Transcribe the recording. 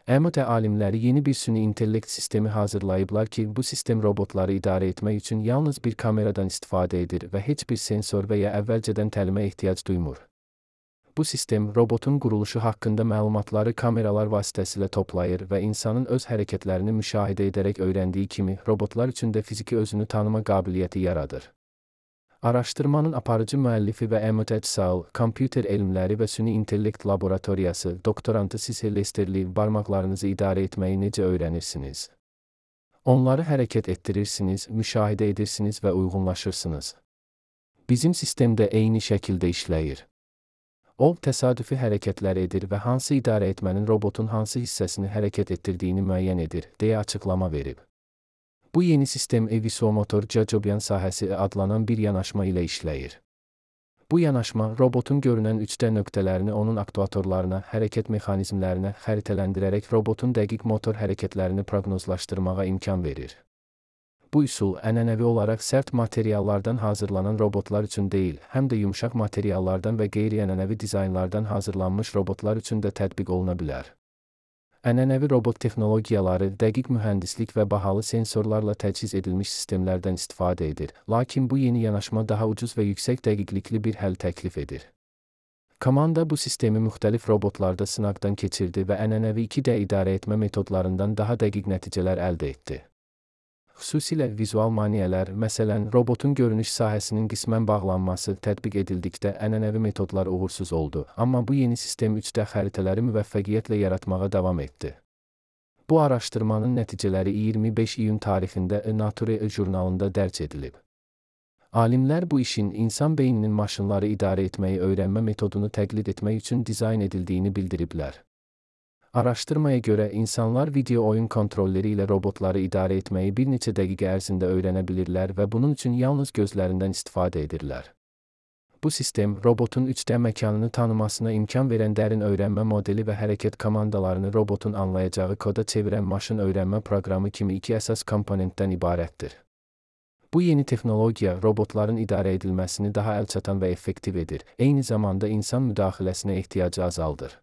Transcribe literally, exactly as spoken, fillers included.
M O T alimləri yeni bir süni intellekt sistemi hazırlayıblar ki, bu sistem robotları idarə etmək üçün yalnız bir kameradan istifadə edir və heç bir sensor və ya əvvəlcədən təlimə ehtiyac duymur. Bu sistem, robotun quruluşu haqqında məlumatları kameralar vasitəsilə toplayır və insanın öz hərəkətlərini müşahidə edərək öyrəndiyi kimi, robotlar üçün də fiziki özünü tanıma qabiliyyəti yaradır. Araşdırmanın aparıcı müəllifi və M O T S A L, Kompüter Elmləri və Süni İntellekt Laboratoriyası doktorantı Cecil Lesterli barmaqlarınızı idarə etməyi necə öyrənirsiniz? Onları hərəkət etdirirsiniz, müşahidə edirsiniz və uyğunlaşırsınız. Bizim sistemdə eyni şəkildə işləyir. O, təsadüfi hərəkətlər edir və hansı idarə etmənin robotun hansı hissəsini hərəkət etdirdiyini müəyyən edir, deyə açıqlama verib. Bu yeni sistem visomotor cacobyan sahəsi adlanan bir yanaşma ilə işləyir. Bu yanaşma, robotun görünən üç D nöqtələrini onun aktuatorlarına, hərəkət mexanizmlərinə xəritələndirərək robotun dəqiq motor hərəkətlərini proqnozlaşdırmağa imkan verir. Bu üsul, ənənəvi olaraq sərt materiallardan hazırlanan robotlar üçün deyil, həm də yumşaq materiallardan və qeyri-ənənəvi dizaynlardan hazırlanmış robotlar üçün də tətbiq oluna bilər. Ənənəvi robot texnologiyaları dəqiq mühəndislik və bahalı sensorlarla təchiz edilmiş sistemlərdən istifadə edir, lakin bu yeni yanaşma daha ucuz və yüksək dəqiqlikli bir həll təklif edir. Komanda bu sistemi müxtəlif robotlarda sınaqdan keçirdi və ənənəvi iki D idarə etmə metodlarından daha dəqiq nəticələr əldə etdi. Xüsusilə vizual maneələr, məsələn, robotun görünüş sahəsinin qismən bağlanması tətbiq edildikdə ənənəvi metodlar uğursuz oldu, amma bu yeni sistem üç D xəritələri müvəffəqiyyətlə yaratmağa davam etdi. Bu araşdırmanın nəticələri iyirmi beş iyun tarixində Nature jurnalında dərc edilib. Alimlər bu işin insan beyninin maşınları idarə etməyi öyrənmə metodunu təqlid etmək üçün dizayn edildiyini bildiriblər. Araşdırmaya görə, insanlar video oyun kontrolləri ilə robotları idarə etməyi bir neçə dəqiqə ərzində öyrənə bilirlər və bunun üçün yalnız gözlərindən istifadə edirlər. Bu sistem, robotun üç D məkanını tanımasına imkan verən dərin öyrənmə modeli və hərəkət komandalarını robotun anlayacağı koda çevirən maşın öyrənmə proqramı kimi iki əsas komponentdən ibarətdir. Bu yeni texnologiya, robotların idarə edilməsini daha əlçatan və effektiv edir, eyni zamanda insan müdaxiləsinə ehtiyacı azaldır.